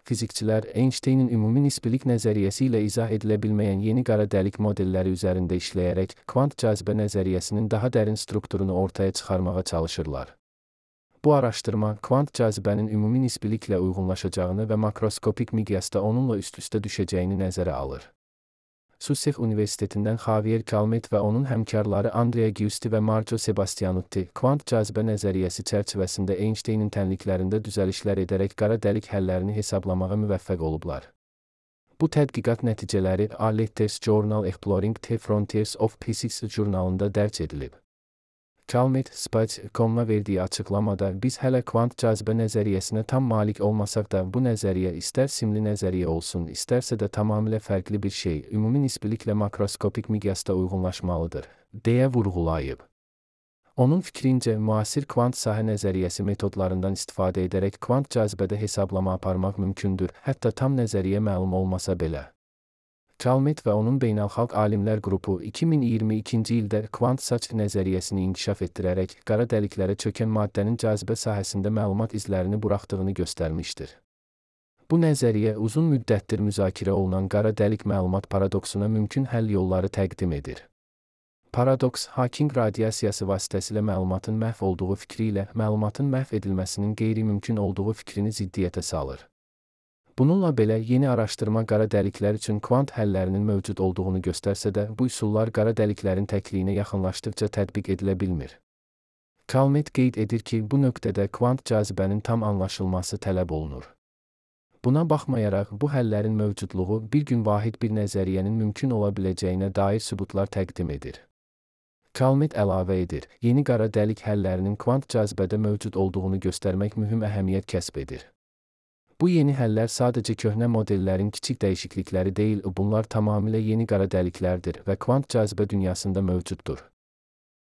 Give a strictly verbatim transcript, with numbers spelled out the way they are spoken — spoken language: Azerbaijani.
Fizikçilər Einsteynin ümumi nisbilik nəzəriyyəsi ilə izah edilə bilməyən yeni qara dəlik modelləri üzərində işləyərək kvant cazibə nəzəriyyəsinin daha dərin strukturunu ortaya çıxarmağa çalışırlar. Bu araşdırma kvant cazibənin ümumi nisbiliklə uyğunlaşacağını və makroskopik miqyasda onunla üst-üstə düşəcəyini nəzərə alır. Sussex Universitetindən Javier Calmet və onun həmkarları Andrea Giusti və Marco Sebastianutti kvant cazibə nəzəriyyəsi çərçivəsində Einsteynin tənliklərində düzəlişlər edərək qara dəlik həllərini hesablamağa müvəffəq olublar. Bu tədqiqat nəticələri A Letters Journal Exploring the Frontiers of Physics jurnalında dərc edilib. Calmet, Space nöqtə com-a verdiyi açıqlamada, biz hələ kvant cazibə nəzəriyyəsinə tam malik olmasaq da, bu nəzəriyyə istər simli nəzəriyyə olsun, istərsə də tamamilə fərqli bir şey, ümumi nisbiliklə makroskopik miqyasda uyğunlaşmalıdır, deyə vurğulayıb. Onun fikrincə, müasir kvant sahə nəzəriyyəsi metodlarından istifadə edərək kvant cazibədə hesablama aparmaq mümkündür, hətta tam nəzəriyyə məlum olmasa belə. Calmet və onun beynəlxalq alimlər qrupu iki min iyirmi ikinci ildə kvant saç nəzəriyyəsini inkişaf etdirərək qara dəliklərə çökən maddənin cazibə sahəsində məlumat izlərini buraxdığını göstərmişdir. Bu nəzəriyyə uzun müddətdir müzakirə olunan qara dəlik məlumat paradoksuna mümkün həll yolları təqdim edir. Paradoks, Hawking radiasiyası vasitəsilə məlumatın məhv olduğu fikri ilə məlumatın məhv edilməsinin qeyri-mümkün olduğu fikrini ziddiyyətə salır. Bununla belə, yeni araşdırma qara dəliklər üçün kvant həllərinin mövcud olduğunu göstərsə də, bu üsullar qara dəliklərin təkliyinə yaxınlaşdıqca tətbiq edilə bilmir. Calmet qeyd edir ki, bu nöqtədə kvant cazibənin tam anlaşılması tələb olunur. Buna baxmayaraq, bu həllərin mövcudluğu bir gün vahid bir nəzəriyyənin mümkün ola biləcəyinə dair sübutlar təqdim edir. Calmet əlavə edir, yeni qara dəlik həllərinin kvant cazibədə mövcud olduğunu göstərmək mühüm əhəmiyyət kəsb edir. Bu yeni həllər sadəcə köhnə modellərin kiçik dəyişiklikləri deyil, bunlar tamamilə yeni qara dəliklərdir və kvant cazibə dünyasında mövcuddur.